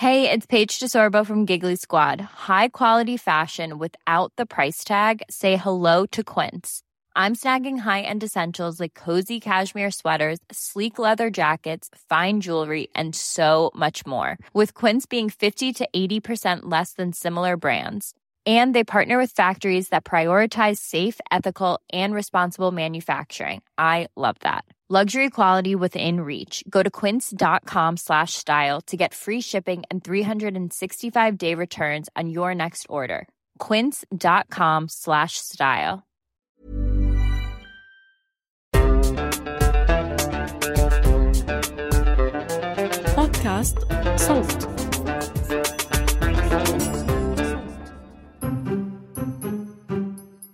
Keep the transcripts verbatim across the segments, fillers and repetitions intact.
Hey, it's Paige DeSorbo from Giggly Squad. High quality fashion without the price tag. Say hello to Quince. I'm snagging high-end essentials like cozy cashmere sweaters, sleek leather jackets, fine jewelry, and so much more. With Quince being fifty to eighty percent less than similar brands. And they partner with factories that prioritize safe, ethical, and responsible manufacturing. I love that. Luxury quality within reach. Go to quince.com slash style to get free shipping and three sixty-five day returns on your next order. Quince.com slash style. بودكاست صوت.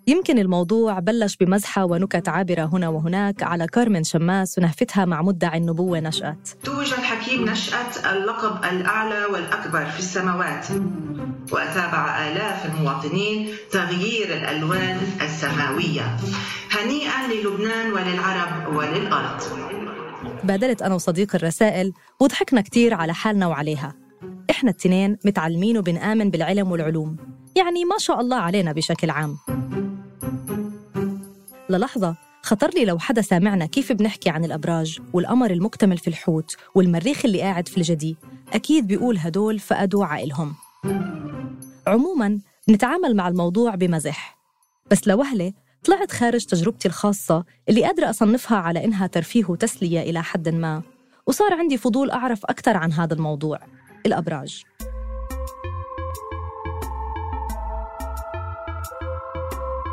يمكن الموضوع بلش بمزحة ونكت عابرة هنا وهناك على كارمن شماس ونهفتها مع مدعي النبوة نشأت. توج الحكيم نشأت اللقب الأعلى والأكبر في السماوات، وأتابع آلاف المواطنين تغيير الألوان السماوية. هنيئا للبنان وللعرب وللأرض. بادلت أنا وصديق الرسائل وضحكنا كتير على حالنا وعليها. إحنا التنين متعلمين وبنآمن بالعلم والعلوم، يعني ما شاء الله علينا بشكل عام. للحظة خطر لي لو حدا سامعنا كيف بنحكي عن الأبراج والقمر المكتمل في الحوت والمريخ اللي قاعد في الجدي، أكيد بيقول هدول فقدوا عقلهم. عموماً نتعامل مع الموضوع بمزح، بس لوهلة طلعت خارج تجربتي الخاصة اللي قادرة أصنفها على إنها ترفيه وتسلية إلى حد ما، وصار عندي فضول أعرف أكتر عن هذا الموضوع، الأبراج.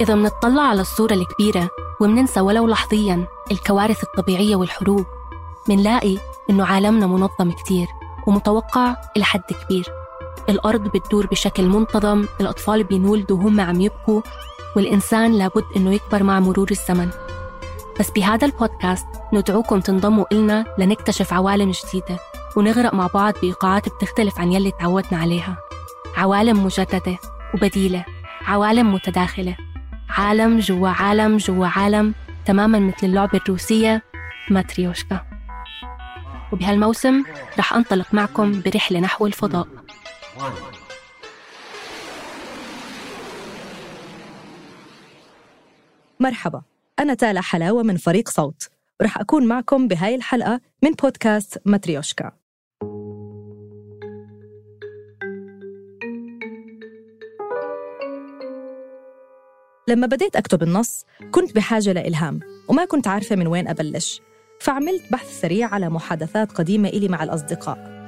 إذا منطلع على الصورة الكبيرة ومننسى ولو لحظياً الكوارث الطبيعية والحروب، منلاقي إنه عالمنا منظم كتير ومتوقع إلى حد كبير. الأرض بتدور بشكل منتظم، الأطفال بينولدوا وهم عم يبكوا، والإنسان لابد إنه يكبر مع مرور الزمن. بس بهذا البودكاست ندعوكم تنضموا إلنا لنكتشف عوالم جديدة ونغرق مع بعض بإيقاعات بتختلف عن يلي تعودنا عليها. عوالم مجددة وبديلة، عوالم متداخلة، عالم جوا عالم جوا عالم، تماماً مثل اللعبة الروسية ماتريوشكا. وبهالموسم رح أنطلق معكم برحلة نحو الفضاء. مرحبا، أنا تالا حلاوة من فريق صوت، ورح أكون معكم بهاي الحلقة من بودكاست ماتريوشكا. لما بديت أكتب النص كنت بحاجة لإلهام وما كنت عارفة من وين أبلش، فعملت بحث سريع على محادثات قديمة إلي مع الأصدقاء.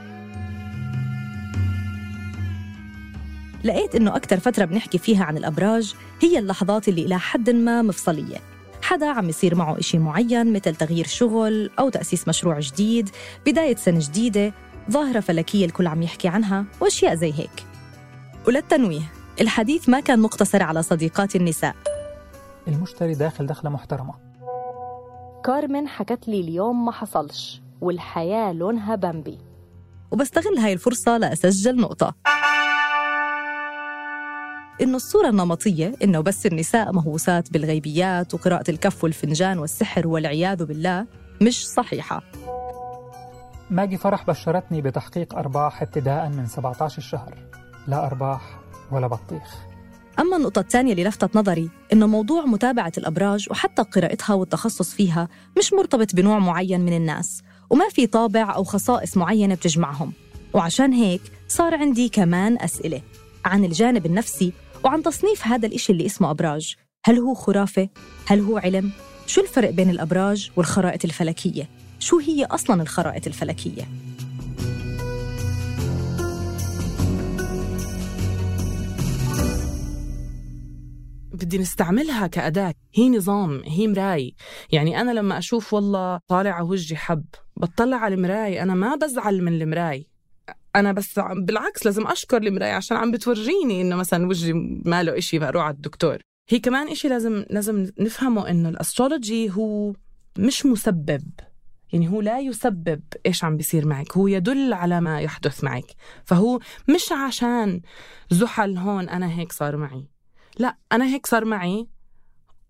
لقيت إنه أكتر فترة بنحكي فيها عن الأبراج هي اللحظات اللي إلى حد ما مفصلية. حدا عم يصير معه إشي معين مثل تغيير شغل أو تأسيس مشروع جديد، بداية سنة جديدة، ظاهرة فلكية الكل عم يحكي عنها وأشياء زي هيك. وللتنويه الحديث ما كان مقتصر على صديقات النساء. المشتري داخل دخلة محترمة. كارمن حكت لي اليوم ما حصلش والحياة لونها بامبي، وبستغل هاي الفرصة لأسجل نقطة، إنه الصورة النمطية إنه بس النساء مهووسات بالغيبيات وقراءة الكف والفنجان والسحر والعياذ بالله مش صحيحة. ماجي فرح بشرتني بتحقيق أرباح ابتداء من سبعة عشر الشهر، لا أرباح ولا بطيخ. أما النقطة الثانية اللي لفتت نظري إنه موضوع متابعة الأبراج وحتى قراءتها والتخصص فيها مش مرتبط بنوع معين من الناس، وما في طابع أو خصائص معينة بتجمعهم. وعشان هيك صار عندي كمان أسئلة عن الجانب النفسي وعن تصنيف هذا الإشي اللي اسمه أبراج. هل هو خرافة؟ هل هو علم؟ شو الفرق بين الأبراج والخرائط الفلكية؟ شو هي أصلاً الخرائط الفلكية؟ بدي نستعملها كأداة، هي نظام، هي مراي. يعني أنا لما أشوف والله طالع على وجهي حب، بطلع على المراي، أنا ما بزعل من المراي، أنا بس بالعكس لازم أشكر المراي عشان عم بتورجيني إنه مثلا وجهي ماله إشي فأروح على الدكتور. هي كمان إشي لازم لازم نفهمه إنه الأسترولوجي هو مش مسبب، يعني هو لا يسبب إيش عم بيصير معك، هو يدل على ما يحدث معك. فهو مش عشان زحل هون أنا هيك صار معي، لا، أنا هيك صار معي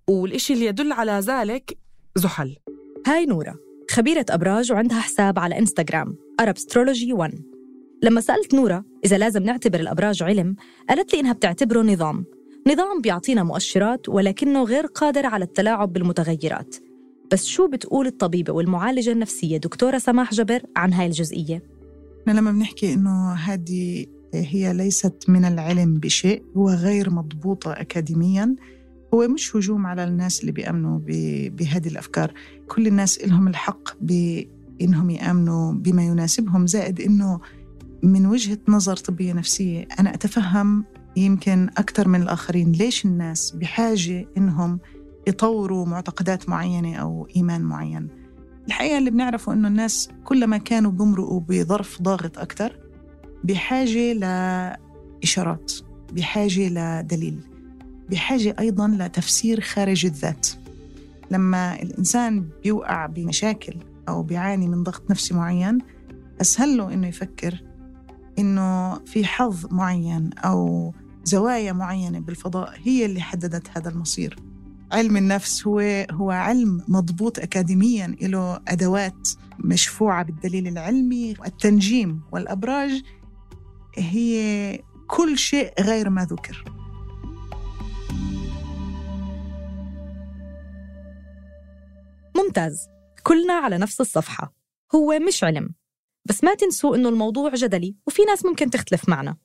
والإشي اللي يدل على ذلك زحل. هاي نورة، خبيرة أبراج وعندها حساب على إنستغرام أرابسترولوجي ون. لما سألت نورة إذا لازم نعتبر الأبراج علم، قالت لي إنها بتعتبره نظام نظام بيعطينا مؤشرات ولكنه غير قادر على التلاعب بالمتغيرات. بس شو بتقول الطبيبة والمعالجة النفسية دكتورة سماح جبر عن هاي الجزئية؟ لما بنحكي إنه هذه هي ليست من العلم بشيء، هو غير مضبوطة أكاديمياً، هو مش هجوم على الناس اللي بيأمنوا بهذه الأفكار. كل الناس لهم الحق بإنهم يأمنوا بما يناسبهم، زائد إنه من وجهة نظر طبية نفسية أنا أتفهم يمكن أكثر من الآخرين ليش الناس بحاجة إنهم يطوروا معتقدات معينة أو إيمان معين. الحقيقة اللي بنعرفه إنه الناس كلما كانوا بمرقوا بظرف ضاغط أكثر بحاجة لإشارات، بحاجة لدليل، بحاجة أيضاً لتفسير خارج الذات. لما الإنسان بيوقع بمشاكل أو بيعاني من ضغط نفسي معين، أسهل له إنه يفكر إنه في حظ معين أو زوايا معينة بالفضاء هي اللي حددت هذا المصير. علم النفس هو هو علم مضبوط أكاديمياً، له أدوات مشفوعة بالدليل العلمي. التنجيم والأبراج هي كل شيء غير ما ذكر. ممتاز، كلنا على نفس الصفحة، هو مش علم. بس ما تنسوا إنه الموضوع جدلي وفي ناس ممكن تختلف معنا.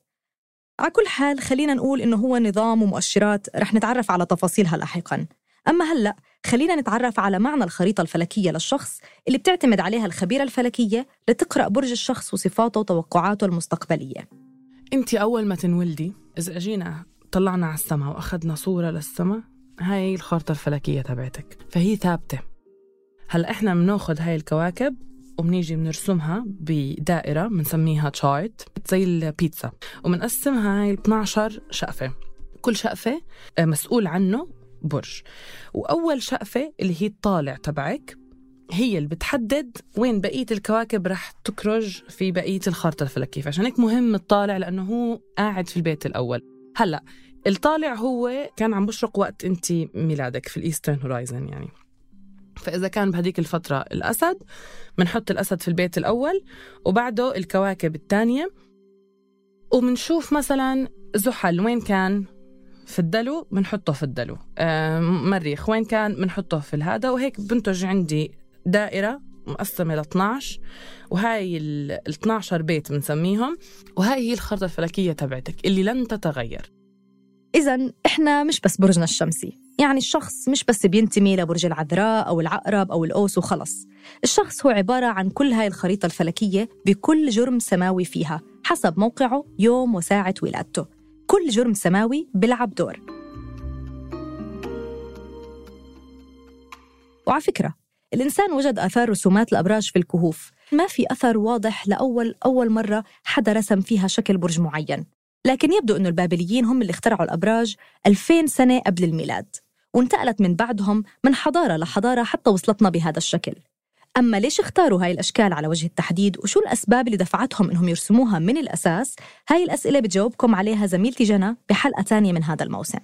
على كل حال خلينا نقول إنه هو نظام ومؤشرات رح نتعرف على تفاصيلها لاحقاً. أما هلأ خلينا نتعرف على معنى الخريطة الفلكية للشخص اللي بتعتمد عليها الخبيرة الفلكية لتقرأ برج الشخص وصفاته وتوقعاته المستقبلية. أنت أول ما تنولدي إذا أجينا طلعنا على السماء وأخذنا صورة للسماء، هاي الخريطة الفلكية تبعتك، فهي ثابتة. هلأ إحنا بناخد هاي الكواكب وبنيجي بنرسمها بدائرة بنسميها تشارت زي البيتزا، وبنقسمها هاي اثنا عشر شقفة، كل شقفة مسؤول عنه برج. وأول شقفة اللي هي الطالع تبعك هي اللي بتحدد وين بقية الكواكب رح تكرج في بقية الخريطة الفلكية. عشان هيك مهم الطالع، لأنه هو قاعد في البيت الأول. هلأ الطالع هو كان عم بشرق وقت أنت ميلادك في الإيسترن هورايزن يعني، فإذا كان بهديك الفترة الأسد بنحط الأسد في البيت الأول وبعده الكواكب الثانية، وبنشوف مثلا زحل وين كان في الدلو بنحطه في الدلو، آه مريخ وين كان بنحطه في الهذا، وهيك بنتج عندي دائرة مقسمة ل اثنا عشر، وهاي ال اثنا عشر بيت بنسميهم، وهاي هي الخريطة الفلكية تبعتك اللي لن تتغير. إذن إحنا مش بس برجنا الشمسي، يعني الشخص مش بس بينتمي لبرج العذراء أو العقرب أو الأوس وخلص. الشخص هو عبارة عن كل هاي الخريطة الفلكية بكل جرم سماوي فيها حسب موقعه، يوم وساعة ولادته. كل جرم سماوي بيلعب دور. وعلى فكرة الإنسان وجد آثار رسومات الأبراج في الكهوف، ما في أثر واضح لأول أول مرة حدا رسم فيها شكل برج معين، لكن يبدو أنه البابليين هم اللي اخترعوا الأبراج ألفين سنة قبل الميلاد، وانتقلت من بعدهم من حضارة لحضارة حتى وصلتنا بهذا الشكل. أما ليش اختاروا هاي الأشكال على وجه التحديد وشو الأسباب اللي دفعتهم إنهم يرسموها من الأساس؟ هاي الأسئلة بتجاوبكم عليها زميلتي جنى بحلقة تانية من هذا الموسم.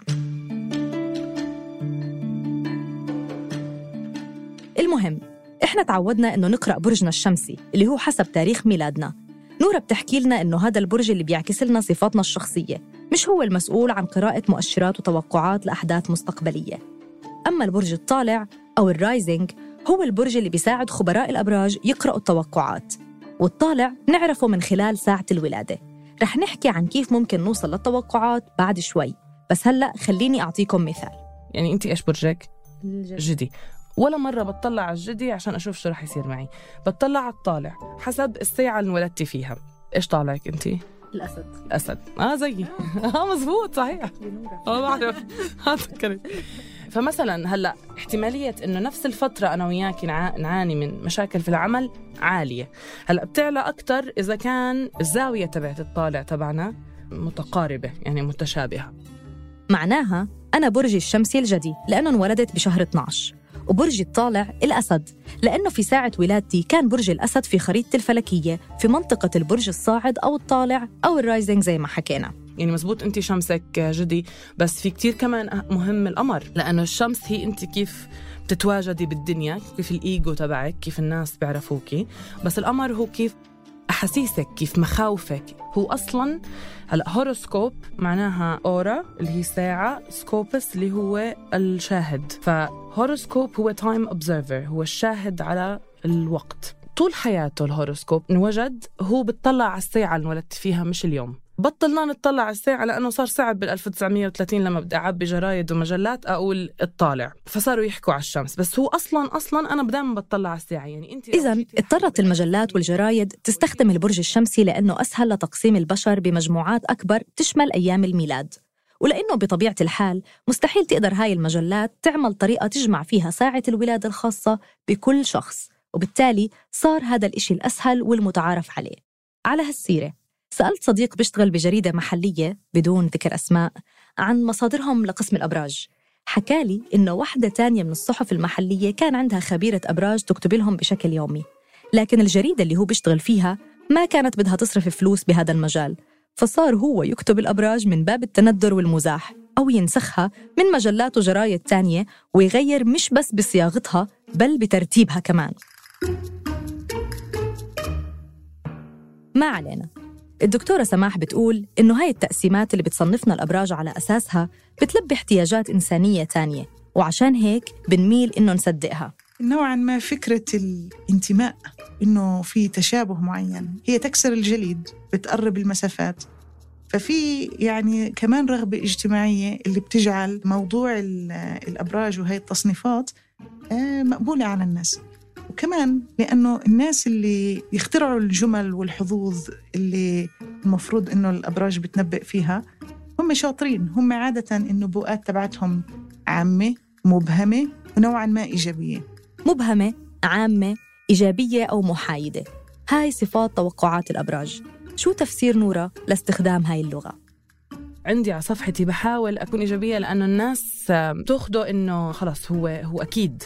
المهم إحنا تعودنا إنه نقرأ برجنا الشمسي اللي هو حسب تاريخ ميلادنا. نورة بتحكي لنا إنه هذا البرج اللي بيعكس لنا صفاتنا الشخصية، مش هو المسؤول عن قراءة مؤشرات وتوقعات لأحداث مستقبلية. أما البرج الطالع أو الرايزنج هو البرج اللي بيساعد خبراء الأبراج يقرأوا التوقعات، والطالع نعرفه من خلال ساعة الولادة. رح نحكي عن كيف ممكن نوصل للتوقعات بعد شوي، بس هلأ خليني أعطيكم مثال. يعني أنت إيش برجك؟ جدي. ولا مرة بتطلع على الجدي عشان أشوف شو رح يصير معي، بتطلع على الطالع حسب الساعة اللي ولدتي فيها. إيش طالعك أنت؟ الأسد. الأسد. آه زيي. آه مزبوط صحيح. آه بعرف. هذا فمثلا هلأ احتمالية إنه نفس الفترة أنا وياكي نعاني من مشاكل في العمل عالية. هلأ بتعلى أكتر إذا كان الزاوية تبعت الطالع تبعنا متقاربة، يعني متشابهة. معناها أنا برجي الشمسي الجدي لأنه انولدت بشهر اثنا عشر، وبرجي الطالع الأسد لأنه في ساعة ولادتي كان برج الأسد في خريطة الفلكية في منطقة البرج الصاعد أو الطالع أو الرايزنج زي ما حكينا. يعني مزبوط أنت شمسك جدي، بس في كتير كمان مهم القمر، لأنه الشمس هي أنت كيف بتتواجدي بالدنيا، كيف الإيجو تبعك، كيف الناس بيعرفوكي، بس القمر هو كيف أحاسيسك، كيف مخاوفك. هو أصلاً هلأ هوروسكوب معناها أورا اللي هي ساعة، سكوبس اللي هو الشاهد. فهوروسكوب هو تايم أوبزرفر، هو الشاهد على الوقت. طول حياته الهوروسكوب انوجد هو بتطلع على الساعة اللي انولدت فيها، مش اليوم. بطلنا نطلع على الساعة لأنه صار صعب بال ألف وتسعمية وثلاثين لما بدي أعبي جرايد ومجلات أقول اطالع، فصاروا يحكوا على الشمس. بس هو أصلاً أصلاً أنا دائما بطلع على الساعة. يعني أنت إذن اضطرت المجلات والجرايد تستخدم البرج الشمسي لأنه أسهل لتقسيم البشر بمجموعات أكبر تشمل أيام الميلاد، ولأنه بطبيعة الحال مستحيل تقدر هاي المجلات تعمل طريقة تجمع فيها ساعة الولادة الخاصة بكل شخص، وبالتالي صار هذا الإشي الأسهل والمتعارف عليه. على هالسيرة سألت صديق بيشتغل بجريدة محلية بدون ذكر أسماء عن مصادرهم لقسم الأبراج. حكالي إنه واحدة تانية من الصحف المحلية كان عندها خبيرة أبراج تكتب لهم بشكل يومي، لكن الجريدة اللي هو بيشتغل فيها ما كانت بدها تصرف فلوس بهذا المجال، فصار هو يكتب الأبراج من باب التندر والمزاح، أو ينسخها من مجلات وجرايد تانية ويغير مش بس بصياغتها بل بترتيبها كمان. ما علينا. الدكتورة سماح بتقول إنه هاي التقسيمات اللي بتصنفنا الأبراج على أساسها بتلبي احتياجات إنسانية تانية، وعشان هيك بنميل إنه نصدقها. نوعاً ما فكرة الانتماء، إنه في تشابه معين، هي تكسر الجليد، بتقرب المسافات. ففي يعني كمان رغبة اجتماعية اللي بتجعل موضوع الأبراج وهي التصنيفات مقبولة على الناس. وكمان لأنه الناس اللي يخترعوا الجمل والحظوظ اللي المفروض إنه الأبراج بتنبئ فيها هم شاطرين، هم عادة النبوءات تبعتهم عامة مبهمة ونوعاً ما إيجابية. مبهمة، عامة، إيجابية أو محايدة، هاي صفات توقعات الأبراج. شو تفسير نورة لاستخدام هاي اللغة؟ عندي على صفحتي بحاول أكون إيجابية لأنه الناس تأخده إنه خلاص هو هو أكيد.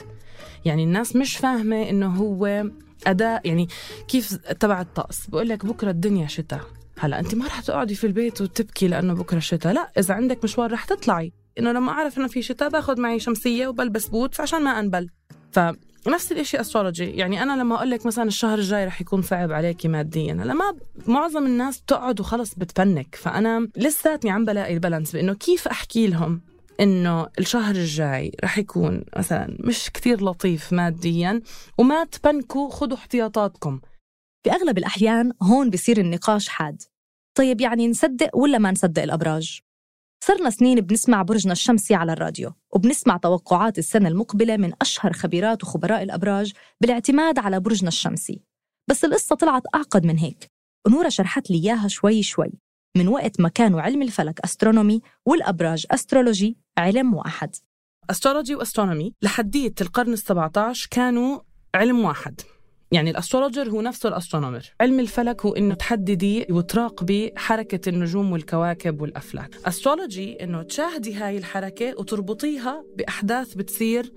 يعني الناس مش فاهمة إنه هو أداء، يعني كيف تبع الطقس بقول لك بكرة الدنيا شتاء، هلأ أنت ما رح تقعدي في البيت وتبكي لأنه بكرة شتاء، لا، إذا عندك مشوار رح تطلعي. إنه لما أعرف إنه في شتاء باخد معي شمسية وبلبس بوتس عشان ما أنبل. فنفس الإشي أسترولوجي. يعني أنا لما أقول لك مثلا الشهر الجاي رح يكون صعب عليكي ماديا، لما معظم الناس بتقعد وخلص بتفنك. فأنا لساتني عم بلاقي البالانس بإنه كيف أحكي لهم إنه الشهر الجاي رح يكون مثلا مش كتير لطيف ماديا، وما تبنكوا، خدوا احتياطاتكم. بأغلب الأحيان هون بيصير النقاش حاد. طيب يعني نصدق ولا ما نصدق الأبراج؟ صرنا سنين بنسمع برجنا الشمسي على الراديو، وبنسمع توقعات السنة المقبلة من أشهر خبيرات وخبراء الأبراج بالاعتماد على برجنا الشمسي. بس القصة طلعت أعقد من هيك، ونورة شرحت لي إياها شوي شوي من وقت ما كانوا علم الفلك أسترونومي والأبراج أسترولوجي علم واحد. أسترولوجي وأسترونومي لحدية القرن السبعة عشر كانوا علم واحد. يعني الأسترولوجر هو نفسه الأسترونومر. علم الفلك هو إنه تحددي وتراقبي حركة النجوم والكواكب والأفلاك. أسترولوجي إنه تشاهدي هاي الحركة وتربطيها بأحداث بتصير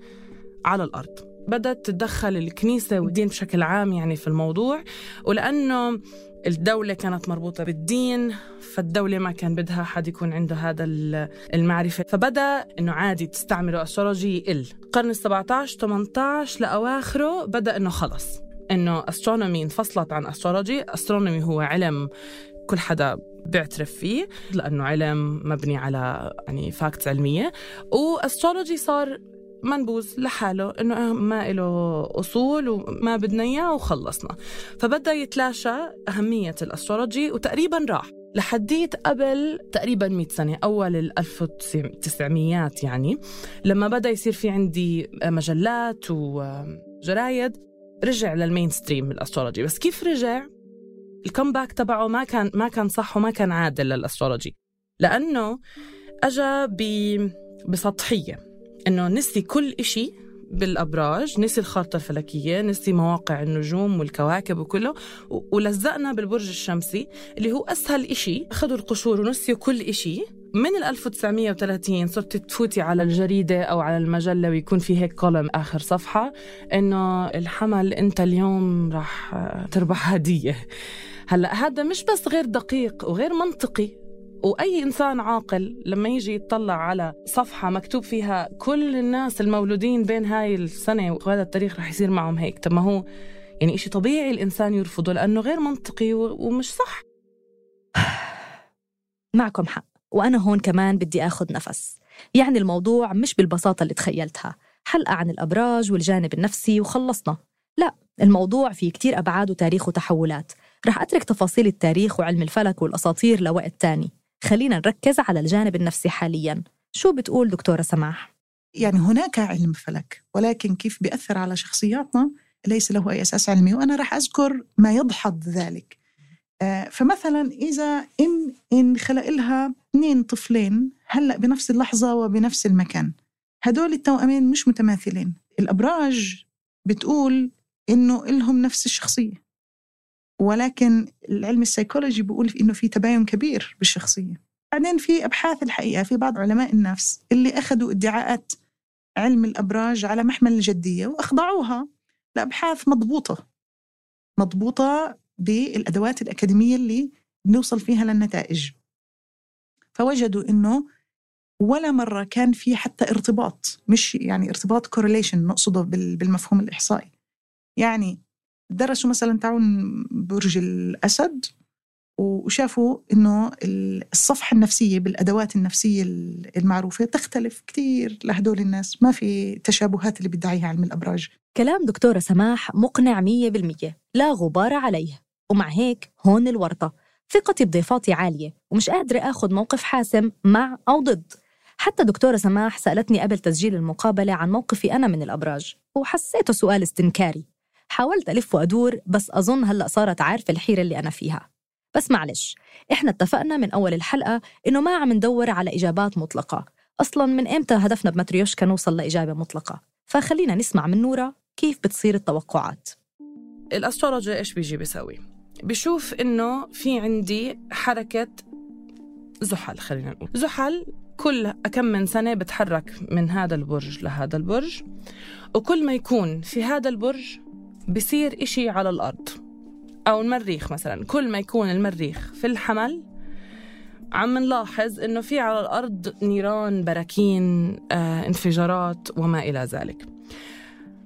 على الأرض. بدأت تتدخل الكنيسة والدين بشكل عام يعني في الموضوع، ولأنه الدولة كانت مربوطة بالدين، فالدولة ما كان بدها حد يكون عنده هذا المعرفة، فبدأ إنه عادي تستعملوا أسترولوجي يقل. القرن السبعة عشر ثمانية عشر لأواخره بدأ إنه خلص إنه أسترونومي انفصلت عن أسترولوجي. أسترونومي هو علم كل حدا بيعترف فيه لأنه علم مبني على يعني فاكتس علمية، وأسترولوجي صار منبوذ لحاله، إنه ما له أصول وما بدنا إياه وخلصنا. فبدأ يتلاشى أهمية الأسترولوجي وتقريباً راح لحديت قبل تقريباً مئة سنة، أول الألف وتسعميات يعني، لما بدأ يصير في عندي مجلات وجرايد رجع للمينستريم الأسترولوجي. بس كيف رجع؟ الكمباك تبعه ما كان ما كان صح وما كان عادل للأسترولوجي، لأنه أجا بسطحية، إنه نسي كل إشي بالأبراج، نسي الخارطة الفلكية، نسي مواقع النجوم والكواكب وكله، ولزقنا بالبرج الشمسي اللي هو أسهل إشي. أخذوا القشور ونسيوا كل إشي. من الألف وتسعمية وثلاثين صرت تفوتي على الجريدة أو على المجلة ويكون في هيك كولم آخر صفحة إنه الحمل أنت اليوم راح تربح هدية. هلأ هذا مش بس غير دقيق وغير منطقي، وأي إنسان عاقل لما يجي يتطلع على صفحة مكتوب فيها كل الناس المولودين بين هاي السنة وهذا التاريخ رح يصير معهم هيك، طب ما هو يعني إشي طبيعي الإنسان يرفضه لأنه غير منطقي ومش صح. معكم حق، وأنا هون كمان بدي أخذ نفس. يعني الموضوع مش بالبساطة اللي تخيلتها، حلقة عن الأبراج والجانب النفسي وخلصنا. لا، الموضوع فيه كتير أبعاد وتاريخ وتحولات. رح أترك تفاصيل التاريخ وعلم الفلك والأساطير لوقت تاني. خلينا نركز على الجانب النفسي حالياً. شو بتقول دكتورة سماح؟ يعني هناك علم فلك، ولكن كيف بيأثر على شخصياتنا ليس له أي أساس علمي، وأنا رح أذكر ما يدحض ذلك. آه فمثلا إذا إن, إن خلق لها اثنين طفلين هلأ بنفس اللحظة وبنفس المكان، هدول التوأمين مش متماثلين. الأبراج بتقول إنه إلهم نفس الشخصية، ولكن العلم السيكولوجي بيقول إنه في تباين كبير بالشخصية. بعدين في أبحاث الحقيقة في بعض علماء النفس اللي أخذوا ادعاءات علم الأبراج على محمل الجدية وأخضعوها لأبحاث مضبوطة مضبوطة بالأدوات الأكاديمية اللي بنوصل فيها للنتائج، فوجدوا إنه ولا مرة كان في حتى ارتباط، مش يعني ارتباط correlation نقصده بالمفهوم الإحصائي. يعني درسوا مثلا تعاون برج الأسد وشافوا إنه الصفحة النفسية بالأدوات النفسية المعروفة تختلف كتير لهدول الناس، ما في تشابهات اللي بيدعيها علم الأبراج. كلام دكتورة سماح مقنع مية بالمية، لا غبار عليه. ومع هيك هون الورطة، ثقتي بضيفاتي عالية ومش قادرة أخذ موقف حاسم مع أو ضد. حتى دكتورة سماح سألتني قبل تسجيل المقابلة عن موقفي أنا من الأبراج، وحسيته سؤال استنكاري. حاولت ألف وأدور، بس أظن هلأ صارت عارفة الحيرة اللي أنا فيها. بس معلش، إحنا اتفقنا من أول الحلقة إنه ما عم ندور على إجابات مطلقة. أصلاً من إمتى هدفنا بماتريوشكا نوصل لإجابة مطلقة؟ فخلينا نسمع من نورا كيف بتصير التوقعات. الأسترولوجي إيش بيجي بيسوي؟ بيشوف إنه في عندي حركة زحل، خلينا نقول زحل كل كم من سنة بتحرك من هذا البرج لهذا البرج، وكل ما يكون في هذا البرج بيصير إشي على الأرض أو المريخ. مثلا كل ما يكون المريخ في الحمل عم نلاحظ إنه في على الأرض نيران، براكين، آه، انفجارات وما إلى ذلك.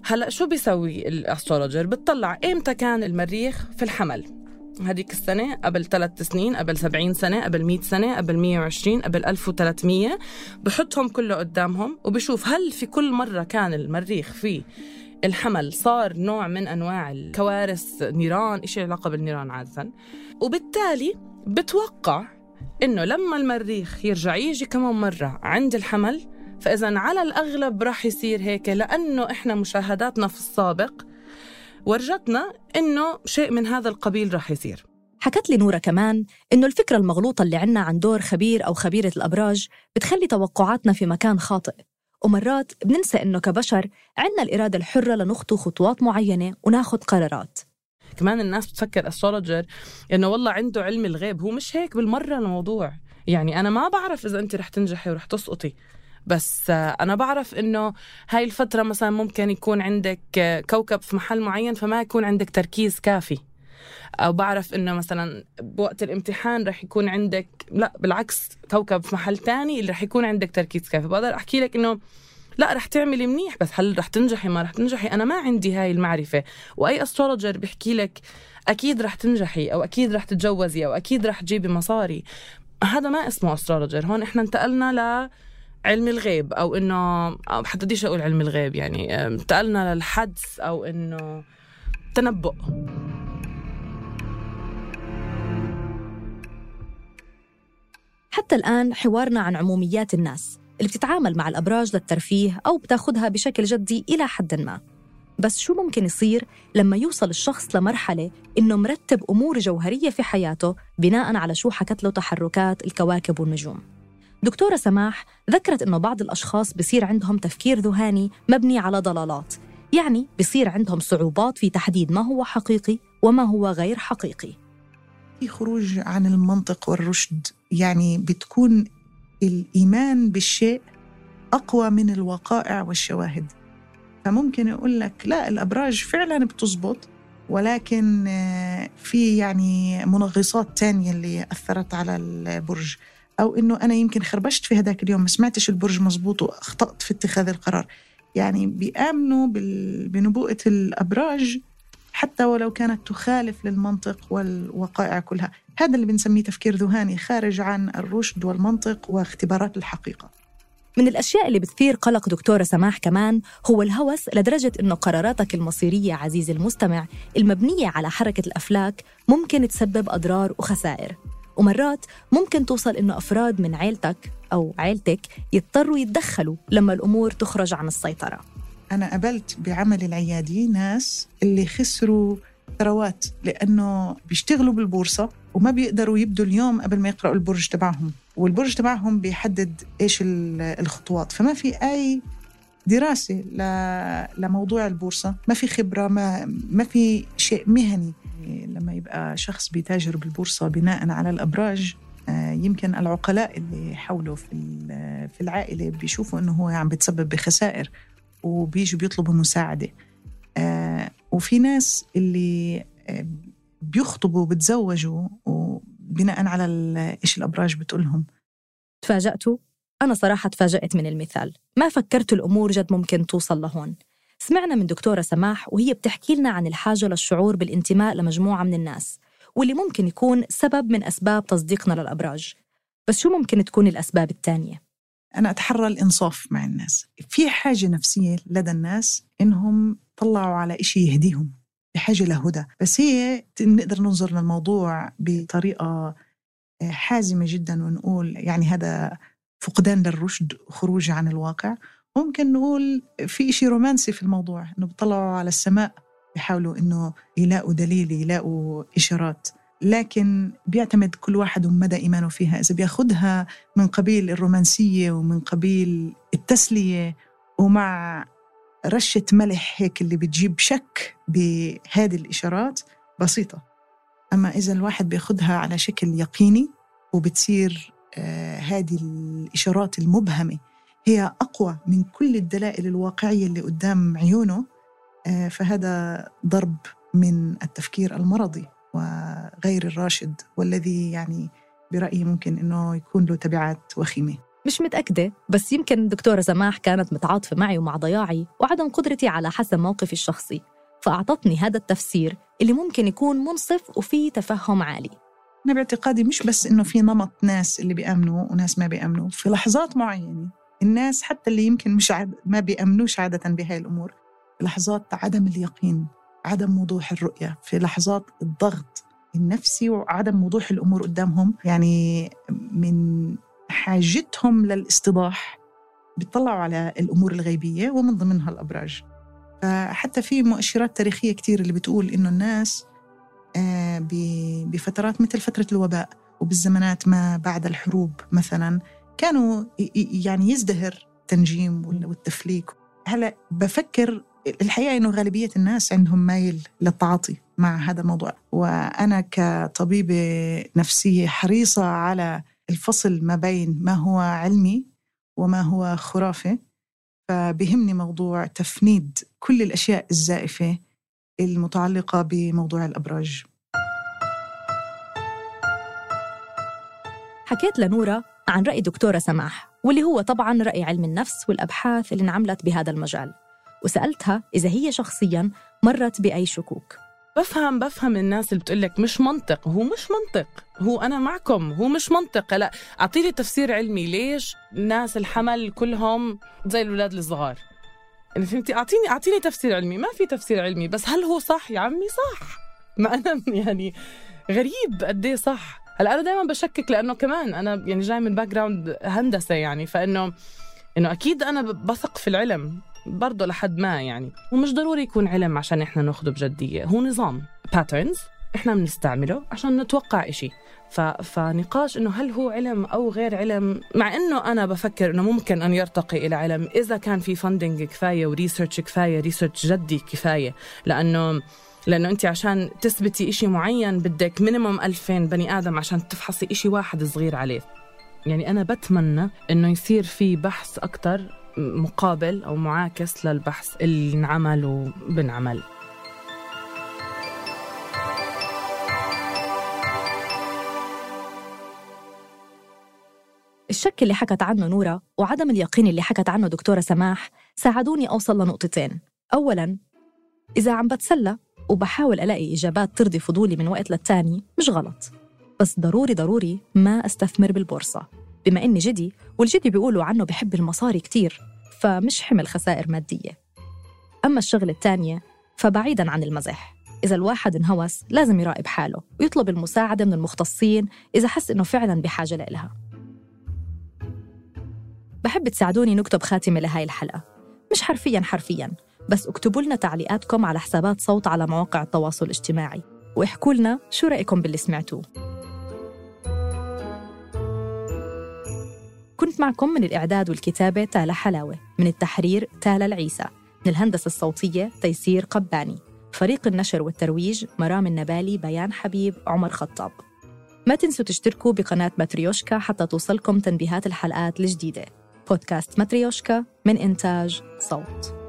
هلأ شو بيسوي الأسترولوجر؟ بتطلع إمتى كان المريخ في الحمل، هذيك السنة، قبل ثلاث سنين، قبل سبعين سنة، قبل مئة سنة، قبل مئة وعشرين، قبل ألف وثلاثمية، بحطهم كله قدامهم وبشوف هل في كل مرة كان المريخ في الحمل صار نوع من أنواع الكوارث، نيران، إشي علاقة بالنيران عادة. وبالتالي بتوقع إنه لما المريخ يرجع يجي كمان مرة عند الحمل، فإذا على الأغلب راح يصير هيك، لأنه إحنا مشاهداتنا في السابق ورجتنا إنه شيء من هذا القبيل راح يصير. حكت لي نورا كمان إنه الفكرة المغلوطة اللي عنا عن دور خبير أو خبيرة الأبراج بتخلي توقعاتنا في مكان خاطئ، ومرات بننسى إنه كبشر عنا الإرادة الحرة لنخطو خطوات معينة وناخد قرارات. كمان الناس بتفكر أسترولوجر إنه والله عنده علم الغيب، هو مش هيك بالمرة الموضوع. يعني أنا ما بعرف إذا أنت رح تنجحي ورح تسقطي، بس أنا بعرف إنه هاي الفترة مثلا ممكن يكون عندك كوكب في محل معين فما يكون عندك تركيز كافي، أو بعرف إنه مثلا بوقت الامتحان رح يكون عندك، لا بالعكس، كوكب في محل تاني اللي رح يكون عندك تركيز كافي. بقدر أحكي لك إنه لا رح تعملي منيح، بس هل رح تنجحي ما رح تنجحي أنا ما عندي هاي المعرفة. وأي أسترولوجر بيحكي لك أكيد رح تنجحي أو أكيد رح تتجوزي أو أكيد رح تجيبي مصاري، هذا ما اسمه أسترولوجر. هون إحنا انتقلنا ل علم الغيب، أو إنه حتى ديش أقول علم الغيب، يعني انتقلنا للحدس أو إنه تنبؤ. حتى الآن حوارنا عن عموميات الناس اللي بتتعامل مع الأبراج للترفيه أو بتاخدها بشكل جدي إلى حد ما. بس شو ممكن يصير لما يوصل الشخص لمرحلة إنه مرتب أمور جوهرية في حياته بناء على شو حكت له تحركات الكواكب والنجوم؟ دكتورة سماح ذكرت إنه بعض الأشخاص بيصير عندهم تفكير ذهاني مبني على ضلالات، يعني بيصير عندهم صعوبات في تحديد ما هو حقيقي وما هو غير حقيقي. في خروج عن المنطق والرشد، يعني بتكون الإيمان بالشيء أقوى من الوقائع والشواهد. فممكن يقول لك لا الأبراج فعلا بتزبط، ولكن في يعني منغصات تانية اللي أثرت على البرج، أو إنه أنا يمكن خربشت في هذاك اليوم ما سمعتش البرج مزبوط وأخطأت في اتخاذ القرار. يعني بيآمنوا بنبوءة الأبراج حتى ولو كانت تخالف للمنطق والوقائع كلها. هذا اللي بنسميه تفكير ذهاني خارج عن الرشد والمنطق واختبارات الحقيقة. من الأشياء اللي بتثير قلق دكتورة سماح كمان هو الهوس، لدرجة إنه قراراتك المصيرية عزيزي المستمع المبنية على حركة الأفلاك ممكن تسبب أضرار وخسائر، ومرات ممكن توصل إنه أفراد من عيلتك أو عيلتك يضطروا يتدخلوا لما الأمور تخرج عن السيطرة. أنا قابلت بعمل العيادي ناس اللي خسروا ثروات لأنه بيشتغلوا بالبورصة وما بيقدروا يبدوا اليوم قبل ما يقرأوا البرج تبعهم، والبرج تبعهم بيحدد إيش الخطوات، فما في أي دراسة لموضوع البورصة، ما في خبرة، ما, ما في شيء مهني. لما يبقى شخص بيتاجر بالبورصة بناء على الأبراج، يمكن العقلاء اللي حوله في العائلة بيشوفوا أنه هو عم بيتسبب بخسائر وبيجوا بيطلبوا مساعدة. وفي ناس اللي بيخطبوا وبتزوجوا وبناء على إيش الأبراج بتقولهم. تفاجأتوا؟ أنا صراحة تفاجأت من المثال، ما فكرت الأمور جد ممكن توصل لهون. سمعنا من دكتورة سماح وهي بتحكي لنا عن الحاجة للشعور بالانتماء لمجموعة من الناس، واللي ممكن يكون سبب من أسباب تصديقنا للأبراج. بس شو ممكن تكون الأسباب التانية؟ أنا أتحرى الإنصاف مع الناس. في حاجة نفسية لدى الناس إنهم طلعوا على إشي يهديهم، بحاجة لهدى، بس هي نقدر ننظر للموضوع بطريقة حازمة جدا ونقول يعني هذا فقدان للرشد، خروج عن الواقع. ممكن نقول في إشي رومانسي في الموضوع، إنه بيطلعوا على السماء بيحاولوا إنه يلاقوا دليل، يلاقوا إشارات، لكن بيعتمد كل واحد ومدى إيمانه فيها. إذا بياخدها من قبيل الرومانسية ومن قبيل التسلية ومع رشة ملح هيك اللي بتجيب شك بهذه الإشارات بسيطة. أما إذا الواحد بياخدها على شكل يقيني وبتصير آه هذه الإشارات المبهمة هي أقوى من كل الدلائل الواقعية اللي قدام عيونه، آه فهذا ضرب من التفكير المرضي وغير الراشد، والذي يعني برأيي ممكن إنه يكون له تبعات وخيمة. مش متأكدة، بس يمكن دكتورة سماح كانت متعاطفة معي ومع ضياعي وعدم قدرتي على حسم موقفي الشخصي، فأعطتني هذا التفسير اللي ممكن يكون منصف وفيه تفهم عالي. أنا باعتقادي مش بس إنه في نمط ناس اللي بيأمنوا وناس ما بيأمنوا في لحظات معينة. الناس حتى اللي يمكن مش عاد ما بيأمنوش عادة بهاي الأمور، في لحظات عدم اليقين، عدم وضوح الرؤية، في لحظات الضغط النفسي وعدم وضوح الأمور قدامهم، يعني من حاجتهم للاستيضاح بيطلعوا على الأمور الغيبية ومن ضمنها الأبراج. فحتى في مؤشرات تاريخية كتير اللي بتقول إنه الناس بفترات مثل فترة الوباء وبالزمانات ما بعد الحروب مثلا كانوا يعني يزدهر التنجيم والتفليك. هلأ بفكر الحقيقة إنه غالبية الناس عندهم مايل للتعاطي مع هذا الموضوع، وأنا كطبيبة نفسية حريصة على الفصل ما بين ما هو علمي وما هو خرافي، فبهمني موضوع تفنيد كل الأشياء الزائفة المتعلقة بموضوع الأبراج. حكيت لنورة عن رأي دكتورة سماح، واللي هو طبعاً رأي علم النفس والأبحاث اللي انعملت بهذا المجال، وسألتها إذا هي شخصياً مرت بأي شكوك. بفهم بفهم الناس اللي بتقولك مش منطق، هو مش منطق، هو أنا معكم، هو مش منطق. لا أعطيني تفسير علمي، ليش الناس الحمل كلهم زي الولاد الصغار؟ يعني فهمتي؟ أعطيني أعطيني تفسير علمي. ما في تفسير علمي، بس هل هو صح يا عمي؟ صح. ما أنا يعني غريب قديه صح. هلا أنا دائما بشكك، لأنه كمان أنا يعني جاي من باك جراوند هندسة، يعني فإنه إنه أكيد أنا بثق في العلم برضو لحد ما، يعني ومش ضروري يكون علم عشان إحنا نأخده بجدية. هو نظام patterns إحنا بنستعمله عشان نتوقع إشي. ف... فنقاش إنه هل هو علم أو غير علم، مع إنه أنا بفكر إنه ممكن أن يرتقي إلى علم إذا كان في فاندنج كفاية وريسيرش كفاية، ريسيرش جدي كفاية. لأنه لأنه أنت عشان تثبتي إشي معين بدك مينيموم ألفين بني آدم عشان تفحصي إشي واحد صغير عليه. يعني أنا بتمنى إنه يصير في بحث أكتر مقابل أو معاكس للبحث اللي نعمل وبنعمل. الشك اللي حكت عنه نورة وعدم اليقين اللي حكت عنه دكتورة سماح ساعدوني أوصل لنقطتين. أولاً، إذا عم بتسلى وبحاول ألاقي إجابات ترضي فضولي من وقت للتاني مش غلط. بس ضروري ضروري ما أستثمر بالبورصة، بما إني جدي والجدي بيقولوا عنه بحب المصاري كتير، فمش حمل خسائر مادية. أما الشغلة التانية فبعيداً عن المزح، إذا الواحد انهوس لازم يراقب حاله ويطلب المساعدة من المختصين إذا حس إنه فعلاً بحاجة لإلها. بحب تساعدوني نكتب خاتمة لهاي الحلقة، مش حرفياً حرفياً، بس اكتبوا لنا تعليقاتكم على حسابات صوت على مواقع التواصل الاجتماعي، واحكوا لنا شو رأيكم باللي سمعتوه. كنت معكم من الإعداد والكتابة تالا حلاوة، من التحرير تالا العيسى، من الهندسة الصوتية تيسير قباني، فريق النشر والترويج مرام النبالي، بيان حبيب، عمر خطاب. ما تنسوا تشتركوا بقناة ماتريوشكا حتى توصلكم تنبيهات الحلقات الجديدة. بودكاست ماتريوشكا من إنتاج صوت.